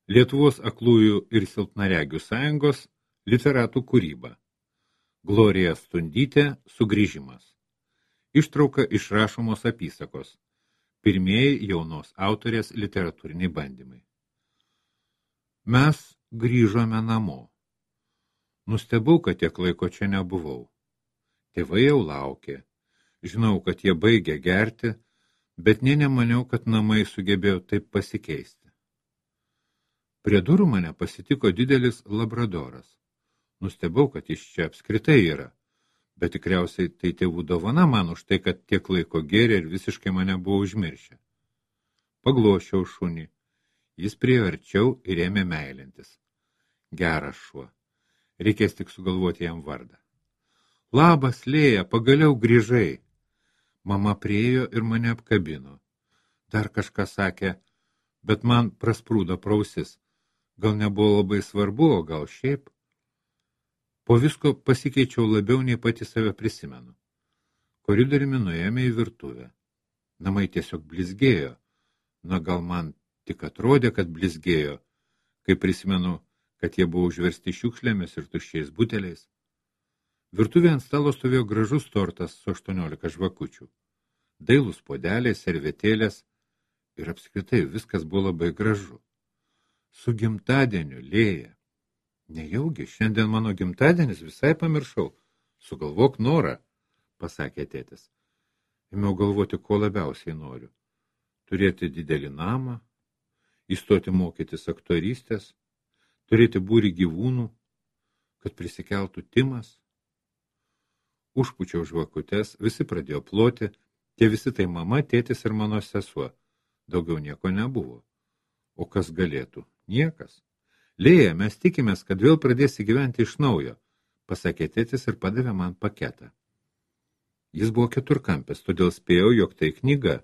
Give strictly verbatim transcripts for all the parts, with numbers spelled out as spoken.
Lietuvos aklųjų ir silpnaregių sąjungos literatų kūryba. Glorija Stundytė Sugrįžimas. Ištrauka iš rašomos apysakos. Pirmieji jaunos autorės literatūriniai bandymai. Mes grįžome namo. Nustebau, kad tiek laiko čia nebuvau. Tėvai jau laukė. Žinau, kad jie baigė gerti, bet nė nemaniau, kad namai sugebėjo taip pasikeisti. Prie durų mane pasitiko didelis labradoras. Nustebau, kad jis čia apskritai yra, bet tikriausiai tai tėvų dovana man už tai, kad tiek laiko gėrė ir visiškai mane buvo užmiršę. Paglošiau šunį. Jis priėjo arčiau ir ėmė meilintis. Geras šuo. Reikės tik sugalvoti jam vardą. Labas, Lėja, pagaliau grįžai. Mama priėjo ir mane apkabino. Dar kažką sakė, bet man prasprūdo prausis. Gal nebuvo labai svarbu, o gal šiaip. Po visko pasikeičiau labiau nei pati save prisimenu. Koridoriumi nuėjome į virtuvę. Namai tiesiog blizgėjo. Na, gal man tik atrodė, kad blizgėjo, kai prisimenu, kad jie buvo užversti šiukšlėmis ir tuščiais buteliais. Virtuvė ant stalo stovėjo gražus tortas su aštuoniolika žvakučių. Dailūs podeliai, servetėlės ir apskritai viskas buvo labai gražu. Su gimtadieniu, Lėja. Nejaugi, šiandien mano gimtadienis, visai pamiršau. Sugalvok norą, pasakė tėtis. Ėmiau galvoti, ko labiausiai noriu. Turėti didelį namą, įstoti mokytis aktorystės, turėti būrį gyvūnų, kad prisikeltų Timas. Užpučiau žvakutes, visi pradėjo ploti, tie visi tai mama, tėtis ir mano sesuo. Daugiau nieko nebuvo. O kas galėtų? Niekas. Lėja, mes tikimės, kad vėl pradėsi gyventi iš naujo, pasakė tėtis ir padavė man paketą. Jis buvo keturkampis, todėl spėjau, jog tai knyga.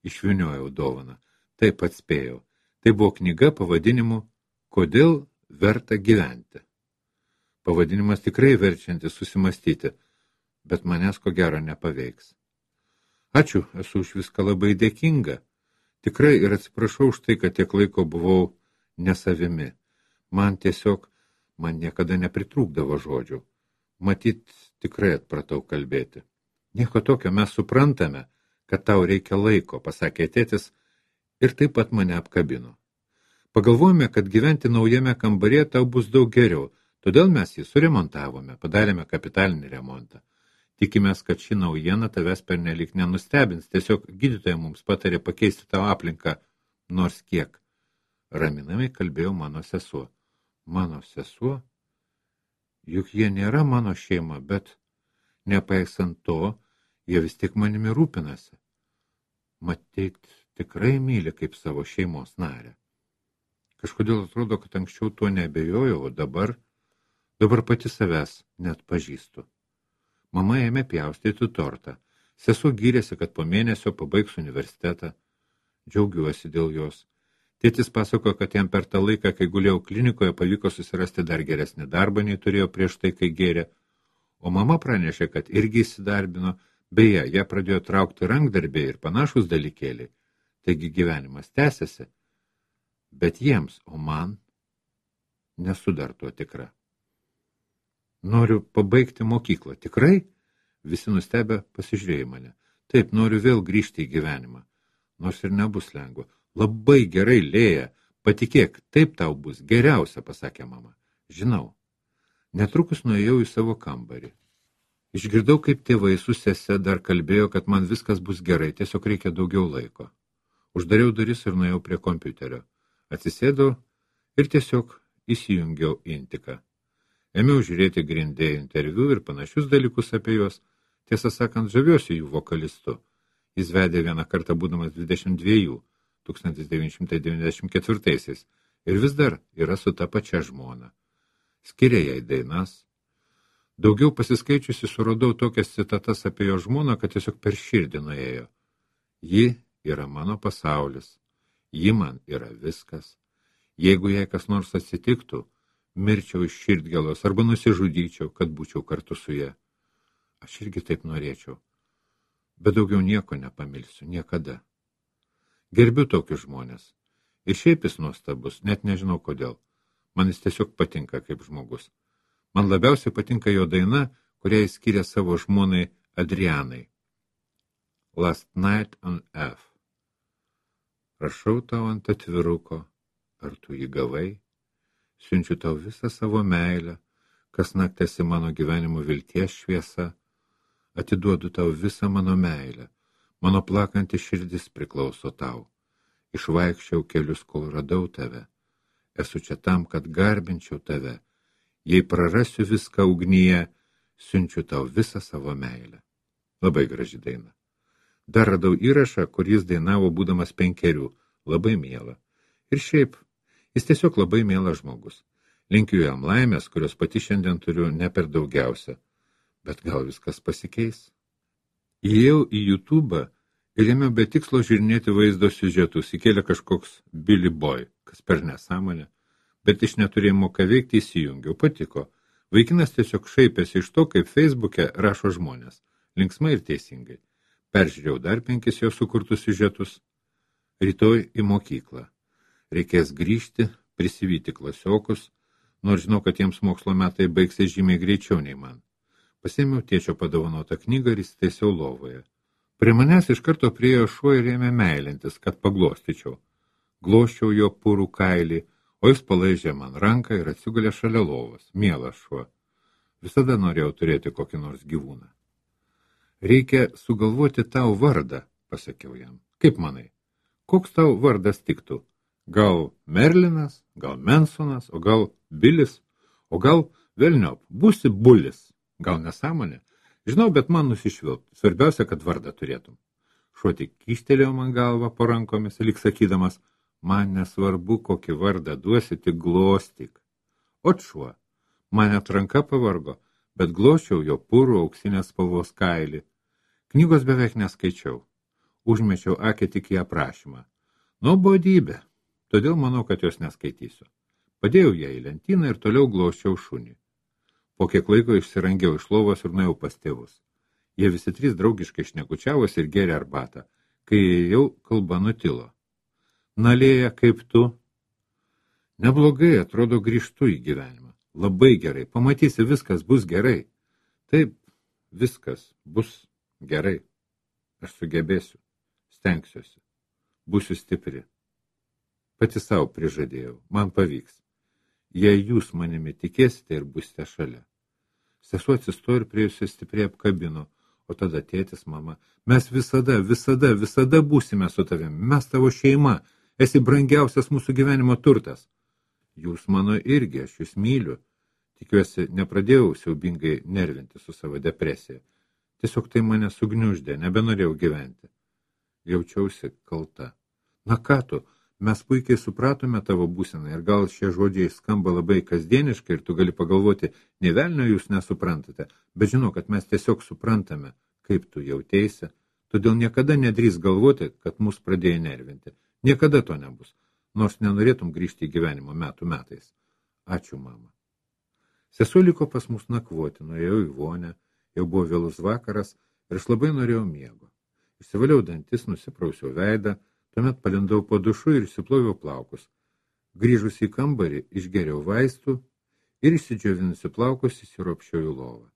Išvyniojau dovaną. Taip atspėjau. Tai buvo knyga pavadinimu Kodėl verta gyventi. Pavadinimas tikrai verčiantis susimastyti, bet manęs ko gero nepaveiks. Ačiū, esu už viską labai dėkinga. Tikrai ir atsiprašau už tai, kad tiek laiko buvau nesavimi. Man tiesiog, man niekada nepritrūkdavo žodžių. Matyt, tikrai atpratau kalbėti. Nieko tokio, mes suprantame, kad tau reikia laiko, pasakė tėtis ir taip pat mane apkabino. Pagalvojome, kad gyventi naujame kambaryje tau bus daug geriau, todėl mes jį suremontavome, padarėme kapitalinį remontą. Tikimės, kad ši naujiena tavęs pernelyg nenustebins, tiesiog gydytoja mums patarė pakeisti tavo aplinką nors kiek. Raminamai kalbėjo mano sesuo. Mano sesuo? Juk jie nėra mano šeima, bet nepaisant to, jie vis tik manimi rūpinasi. Matyt, tikrai myli kaip savo šeimos narę. Kažkodėl atrodo, kad anksčiau tuo neabejojau, o dabar, dabar pati savęs net pažįstu. Mama ėmė pjaustyti tortą. Sesuo gyrėsi, kad po mėnesio pabaigs universitetą. Džiaugiuosi dėl jos. Tėtis pasakojo, kad jam per tą laiką, kai gulėjau klinikoje, pavyko susirasti dar geresnį darbą, nei turėjo prieš tai, kai gėrė. O mama pranešė, kad irgi įsidarbino, beje, ją pradėjo traukti rankdarbiai ir panašus dalykėliai. Taigi gyvenimas tęsiasi. Bet jiems, o man, nesu dar tuo tikra. Noriu pabaigti mokyklą. Tikrai? Visi nustebę pasižiūrėjo mane. Taip, noriu vėl grįžti į gyvenimą. Nors ir nebus lengva. Labai gerai, Lėja. Patikėk, taip tau bus geriausia, pasakė mama. Žinau. Netrukus nuėjau į savo kambarį. Išgirdau, kaip tėvai su sese dar kalbėjo, kad man viskas bus gerai, tiesiog reikia daugiau laiko. Uždariau duris ir nuėjau prie kompiuterio. Atsisėdau ir tiesiog įsijungiau intiką. Ėmiau žiūrėti grindėjų interviu ir panašius dalykus apie juos. Tiesą sakant, žaviuosi jų vokalistu. Jis vedė vieną kartą būdamas dvidešimt dviejų, tūkstantis devyni šimtai devyniasdešimt ketvirtaisiais, ir vis dar yra su ta pačia žmona. Skiria jai dainas. Daugiau pasiskaičiusi suradau tokias citatas apie jo žmoną, kad tiesiog per širdį nuėjo. Ji yra mano pasaulis. Ji man yra viskas. Jeigu jai kas nors atsitiktų, mirčiau iš širdgėlos arba nusižudyčiau, kad būčiau kartu su ja. Aš irgi taip norėčiau. Bet daugiau nieko nepamilsiu, niekada. Gerbiu tokius žmonės. Ir šiaip jis nuostabus, net nežinau kodėl. Man jis tiesiog patinka kaip žmogus. Man labiausiai patinka jo daina, kurią jis skyrė savo žmonai Adrianai. Last Night on F. Rašau tau ant atviruko, ar tu jį gavai? Siunčiu tau visą savo meilę, kas naktėsi mano gyvenimo vilties šviesa. Atiduodu tau visą mano meilę, mano plakanti širdis priklauso tau. Išvaikščiau kelius, kol radau tave. Esu čia tam, kad garbinčiau tave. Jei prarasiu viską ugnyje, siunčiu tau visą savo meilę. Labai graži daina. Dar radau įrašą, kur jis dainavo būdamas penkerių. Labai miela. Ir šiaip, jis tiesiog labai mielas žmogus. Linkiu jam laimės, kurios pati šiandien turiu ne per daugiausia. Bet gal viskas pasikeis? Įėjau į YouTube'ą ir ėmiau be tikslo žiūrinėti vaizdo siužetus. Įkėlė kažkoks Billy Boy, kas per nesąmonę. Bet iš neturėjimo ką veikti įsijungiau, patiko. Vaikinas tiesiog šaipėsi iš to, kaip Facebook'e rašo žmonės. Linksmai ir teisingai. Peržiūrėjau dar penkis jo sukurtus siužetus. Rytoj į mokyklą. Reikės grįžti, prisivyti klasiokus, nors žinau, kad jiems mokslo metai baigsis žymiai greičiau nei man. Pasėmiau tėčio padovanotą knygą ir įsitaisiau lovoje. Prie manęs iš karto priėjo šuo ir ėmė meilintis, kad paglostyčiau. Glosčiau jo purų kailį, o jis palaižė man ranką ir atsigulė šalia lovos. Mielas šuo. Visada norėjau turėti kokį nors gyvūną. Reikia sugalvoti tau vardą, pasakiau jam. Kaip manai? Koks tau vardas tiktų? Gal Merlinas, gal Mensonas, o gal Bilis, o gal velniop, būsi Bulis. Gal nesąmonė? Žinau, bet man nusišvilpt. Svarbiausia, kad vardą turėtum. Šuo tik kyštelėjo man galvą po rankomis, lyg sakydamas, man nesvarbu, kokį vardą duosi, tik glostyk. Ot šuo, man net ranka pavargo, bet glosčiau jo purų auksinės spalvos kailį. Knygos beveik neskaičiau. Užmečiau akį tik į aprašymą. Nuobodybė, todėl manau, kad jos neskaitysiu. Padėjau ją į lentyną ir toliau glosčiau šunį. Po kiek laiko išsirangiau iš lovos ir nuėjau pas tėvus. Jie visi trys draugiškai šnekučiavosi ir gėrė arbatą. Kai jau kalba nutilo. Na, Lėja, kaip tu? Neblogai, atrodo, grįžtu į gyvenimą. Labai gerai, pamatysi, viskas bus gerai. Taip, viskas bus gerai. Aš sugebėsiu, stengsiuosi, būsiu stipri. Pati savo prižadėjau, man pavyks. Jei jūs manimi tikėsite ir būsite šalia. Sesuo atsistojo ir prie jūsų stipriai apkabino, o tada tėtis, mama, mes visada, visada, visada būsime su tavimi, mes tavo šeima, esi brangiausias mūsų gyvenimo turtas. Jūs mano irgi, aš jūs myliu. Tikiuosi, nepradėjau siaubingai nervinti su savo depresija. Tiesiog tai mane sugniuždė, nebenorėjau gyventi. Jaučiausi kalta. Na ką tu, mes puikiai supratome tavo būseną ir gal šie žodžiai skamba labai kasdieniškai ir tu gali pagalvoti, nei velnio jūs nesuprantate, bet žinau, kad mes tiesiog suprantame, kaip tu jauteisi, todėl niekada nedrįs galvoti, kad mus pradėjo nervinti. Niekada to nebus, nors nenorėtum grįžti į gyvenimo metų metais. Ačiū, mama. Sesuo liko pas mus nakvoti, nuėjau į vonę, jau buvo vėlus vakaras ir aš labai norėjau miego. Išsivaliau dantis, nusiprausiau veidą, tuomet palindau po dušu ir išsiploviau plaukus. Grįžus į kambarį, išgeriau vaistų ir išsidžiovinusi plaukus įsiropščiau į lovą.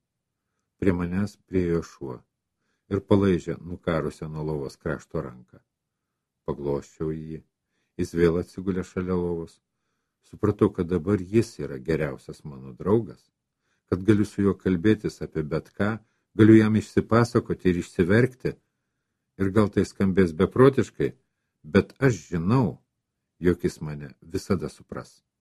Prie manęs priėjo šuo ir palaižė nukarusią nuo lovos krašto ranką. Paglosčiau jį, jis vėl atsigulė šalia lovos. Supratau, kad dabar jis yra geriausias mano draugas, kad galiu su juo kalbėtis apie bet ką, galiu jam išsipasakoti ir išsiverkti. Ir gal tai skambės beprotiškai, bet aš žinau, jog jis mane visada supras.